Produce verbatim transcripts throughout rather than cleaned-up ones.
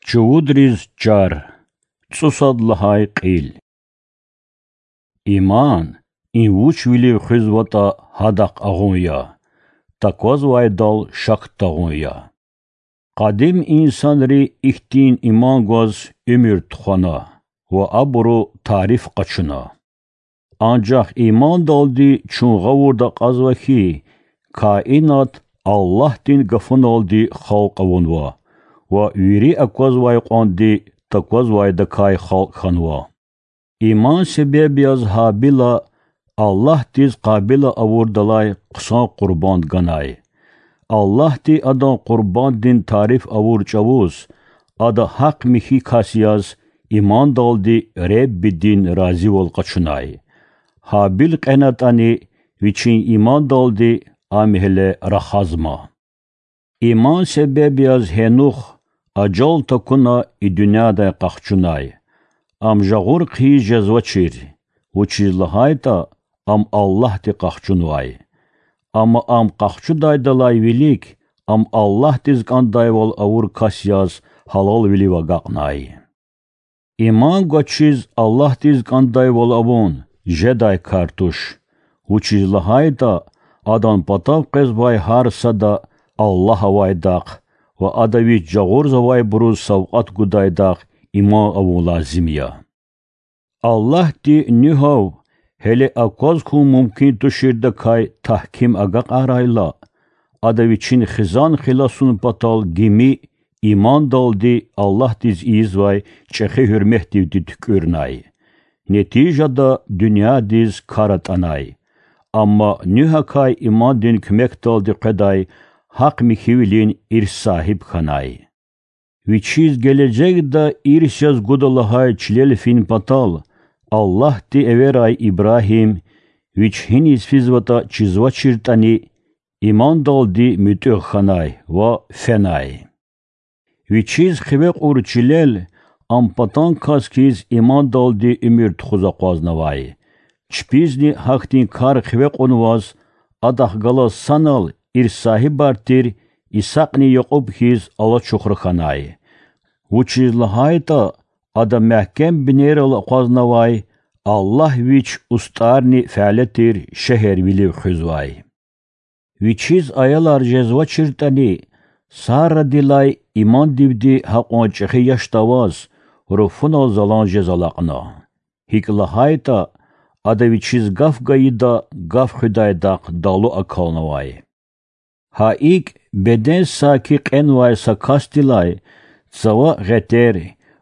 Чувудриз чар. ЦӀусад лагьай кьил. Иман— им вучвилив хуьзватӀа, гьадахъ агъун я, таквазвайдал шак тагъун я. Къадим инсанри ихьтин иман гваз уьмуьр тухвана ва абуру тариф къачуна. Анжах имандалди чун гъавурда акьазва хьи, каинат Аллагьдин гафуналди халкь авунва ва вири аквазвай кьванди таквазвайдакай халкь хьанва. Иман себеб яз Гьабила Аллагьдиз Къабила авурдалай хъсан къурбанд ганай. Аллагьди адан къурбанддин тариф авур чӀавуз, ада гьахъ-михьи кас яз имандалди Реббидин разивал къачунай. Гьабил кьенатӀани, вичин имандалди ам гьеле рахазма. Иман себеб яз Гьенух ажал такуна и дуьньядай къахчунай. Ам жагъур хъийиз жезвачир, вучиз лагьайтӀа ам Аллагьди къахчунвай. Амма ам къахчудайдалай вилик ам Аллагьдиз кӀандайвал авур кас яз гьалалвилив агакьнай. Иман гвачиз Аллагьдиз кӀандайвал авун жедай кар туш, вучиз лагьайтӀа адан патав къвезвай гьар сада Аллагь авайдахъ ва Ада Вич жагъурзавайбуруз савкьват гудайдахъ иман авун лазим я. Аллагьди Нуьгьав гьеле акваз хьун мумкин туширдакай тагьким агакьарайла, Ада Вичин хизан хиласун патал гими имандалди Аллагьдиз ийизвай чӀехи гьуьрметдивди туькӀуьрнай. Нетижада дуьньядиз кар атӀанай. Амма Нуьгьакай имандин куьмекдалди къведай гьахъ-михьивилин ирс сагьиб хьанай. Вичиз гележегда ирс яз гуда лагьай чилел фин патал, Аллагьди эверай Ибрагьим, вич гьиниз физватӀа чизвачиртӀани, имандалди муьтӀуьгъ хьанай ва фенай. Вичиз хиве кьур чилел ам патан кас хьиз имандалди уьмуьр тухуз акъвазнавай. Чпизни гьахьтин кар хиве кьунваз, адахъ галаз санал ирс сагьибар тир Исакьни Якьуб хьиз алачухра хьанай. Вучиз лагьайтӀа ада мягькем бинейрал акъвазнавай Аллагь Вич устӀарни фяле тир шегьервилив хуьзвай. Вичиз аялар жезвачиртӀани, Сарадилай имандивди гьакьван чӀехи яшда аваз, руфунал залан жез алакьна. ГьикӀ лагьайтӀа ада вичиз гаф гайида гаф хуьдайдахъ далу акалнавай. Гьа икӀ, беден саки кьенвай са касдилай цава гъетер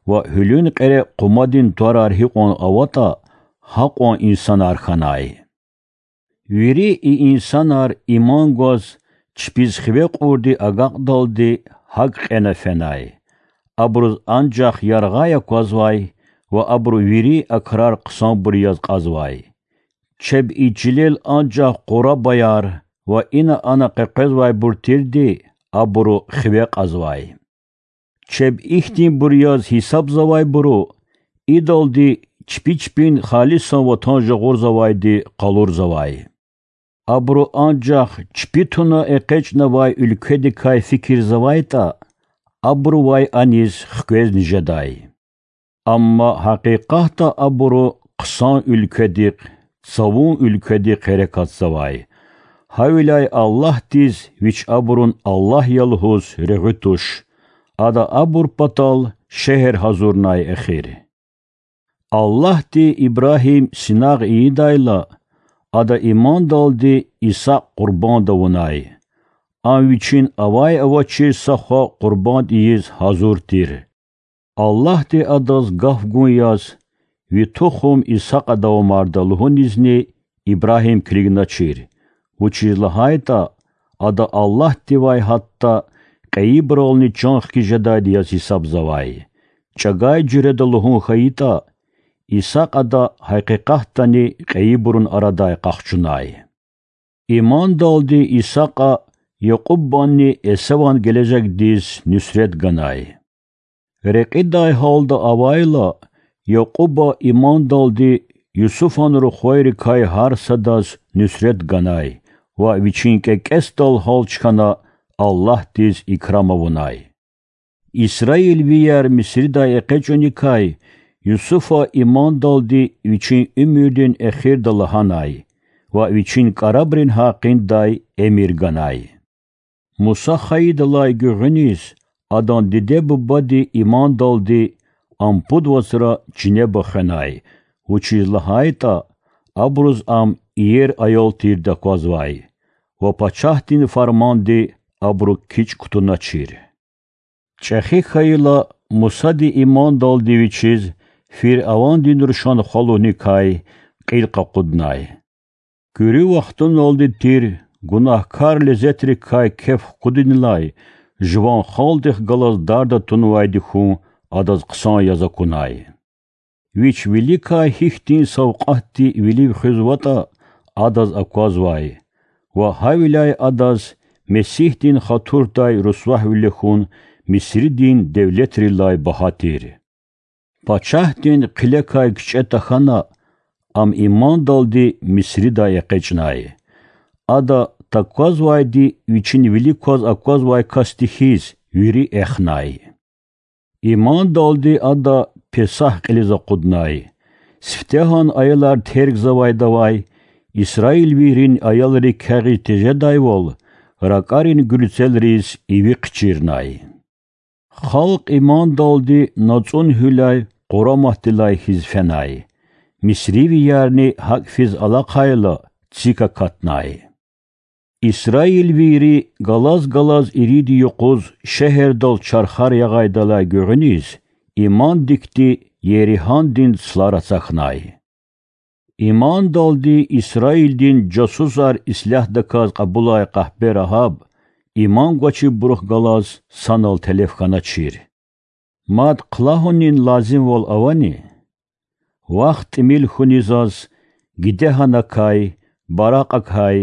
ва гьуьлуьн кьере къумадин тӀварар гьикьван аватӀа, гьакьван инсанар хьанай. Вири и инсанар иман гваз чпиз хиве кьурди агакьдалди гьакӀ кьена фенай. Абуруз анжах яргъай аквазвай ва абуру вири а крар хъсанбур яз кьазвай. Чеб и чилел анжах къурабаяр ва ина-ана къекъвезвайбур тирди абуру хиве кьазвай. Чеб ихьтинбур яз гьисабзавайбуру идалди чпи чпин халисан ватан жагъурзавайди къалурзавай. Абуру анжах чпи туна экъечӀнавай уьлкведикай фикирзавайтӀа, абурувай аниз хквезни жедай. Амма гьакъикъатда абуру хъсан уьлкведихъ, цавун уьлкведихъ гьерекатзавай. Гьавиляй Аллагьдиз, Вич абурун Аллагь я лугьуз, регъуь туш. Ада абур патал шегьер гьазурнай эхир. Аллагьди Ибрагьим синагъ ийидайла, ада имандалди Исакь къурбанд авунай. Ам вичин авай-авачир са хва къурбанд ийиз гьазур тир. Аллагьди адаз гаф гун яз, Ви тухум Исакьа давамарда лугьунизни Ибрагьим килигначир, вучиз лагьайтӀа ада Аллагьдивай гьатта кьейибурални чан хкиз жедайди яз гьисабзавай. ЧӀагай жуьреда лугьун хьайитӀа, Исакь ада гьакъикъатдани кьейибурун арадай къахчунай. Имандалди Исакьа Якьубанни Эсаван гележегдиз нуьсрет ганай. Рекьидай гьалда авайла, Якьуба имандалди Юсуфан рухвайрикай гьар садаз нуьсрет ганай ва вичин кӀекӀецдал гьалч хьана Аллагьдиз икрам авунай. Исраилвияр Мисридай экъечӀуникай Юсуфа имандалди вичин уьмуьрдин эхирда лагьанай ва вичин кӀарабрин гьакъиндай эмир ганай. Муса хайидалай гуьгъуьниз адан диде-бубади имандалди ам пуд вацра чинеба хвенай, вучиз лагьайтӀа абуруз ам иер аял тирди аквазвай ва пачагьдин фарманди абуру кичӀ кутуначир. ЧӀехи хьайила, Мусади имандалди вичиз фиръавандин рушан хвалуникай кьил къакъуднай. Куьруь вахтуналди тир гунагькар лезетрикай кеф хкудунилай жуван халкьдихъ галаз дарда тунвайди хьун адаз хъсан яз акунай. Вич виликай гьихьтин савкьватди вилив хуьзватӀа, адаз аквазвай ва гьавиляй адаз Месигьдин хатурдай русвагьвиле хьун Мисридин девлетрилай багьа тир. Пачагьдин хъилекай кичӀе тахьана, ам имандалди Мисридай экъечӀнай. Ада таквазвайди вичин вилик кваз аквазвай касди хьиз вири эхнай. Имандалди ада Песагь кьилиз акъуднай. Сифтегьан аялар тергзавайдавай исраилвийрин аялри кягъиз тежедайвал, ракӀарин гуьлцелриз иви хъчирнай. Халкь имандалди нацӀун гьуьлай къураматдилай хьиз фенай. Мисривиярни гьакӀ физ алахъайла, цик акатнай. Исраилвийри галаз-галаз ирид юкъуз шегьердал чархар ягъайдалай гуьгъуьниз, имандикди Еригьандин цлар ацахьнай. Имандалди Исраилдин жасусар ислягьдаказ кьабулай къахпе Рагьаб иман гвачибурухъ галаз санал телеф хьаначир. Мад хълагьунин лазимвал авани? Вахт тӀимил хьуни заз Гидегьанакай, Баракьакай,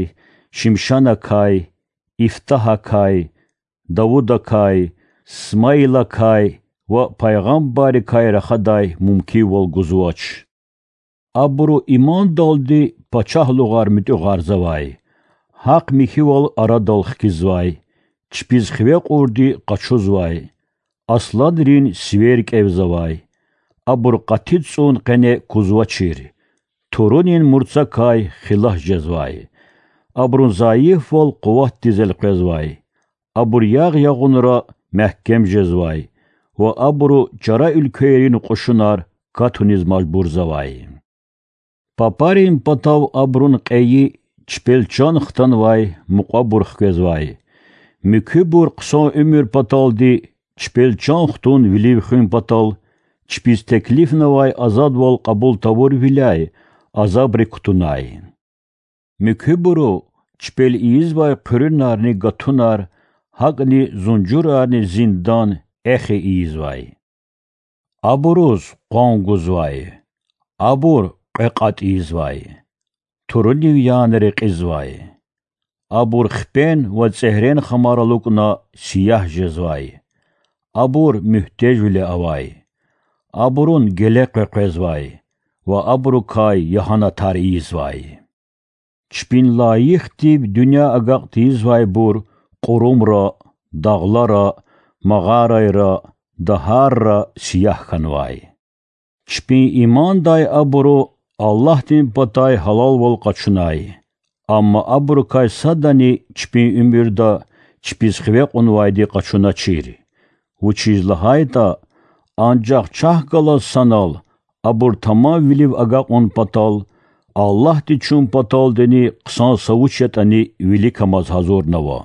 Шимшанакай, Ифтагьакай, Давудакай, Смаилакай ва пайгъамбаррикай рахадай мумкинвал гузвач. Абуру имандалди пачагьлугъар муьтӀуьгъарзавай, гьахъ-михьивал арадал хкизвай, чпиз хиве кьурди къачузвай, асланрин сивер кӀевзавай. Абур къати цӀун къене кузвачир, турунин мурцакай хилас жезвай. Абурун зайифвал къуватдиз элкъвезвай. Абур ягъ-ягъунра мягькем жезвай ва абуру чара уьлквейрин кьушунар катуниз мажбурзавай. Папарин патав абурун кьейи, чпел чан хтанвай мукьвабур хквезвай. Муькуьбур хъсан уьмуьр паталди чпел чан хтун вилив хуьн патал, чпиз теклифнавай азадвал кьабул тавурвиляй азабри кутунай. Муькуьбуру чпел ийизвай хъуьруьнарни гатунар, гьакӀни зунжурарни зиндан эхи ийизвай. Абуруз къван гузвай, абур кьве кьатӀ ийизвай, турунив яна рекьизвай. Абур хпен ва цӀегьрен хамар алукӀна сиягь жезвай. Абур муьгьтежвиле авай. Абурун геле къекъвезвай ва абурукай ягьанатар ийизвай. Чпин лайихдив дуьнья агакь тийизвайбур кьурумра, дагълара, магъарайра, дагьарра сиягь хьанвай. Чпин имандай абуру Аллагьдин патай гьалалвал къачунай, амма абурукай садани чпин уьмуьрда чпиз хиве кьунвайди къачуначир. Вучиз лагьайтӀа анжах чахъ галаз санал абур тамамвилив агакьун патал, Аллагьди чун паталдини хъсан са вуч ятӀани виликамаз гьазурнава.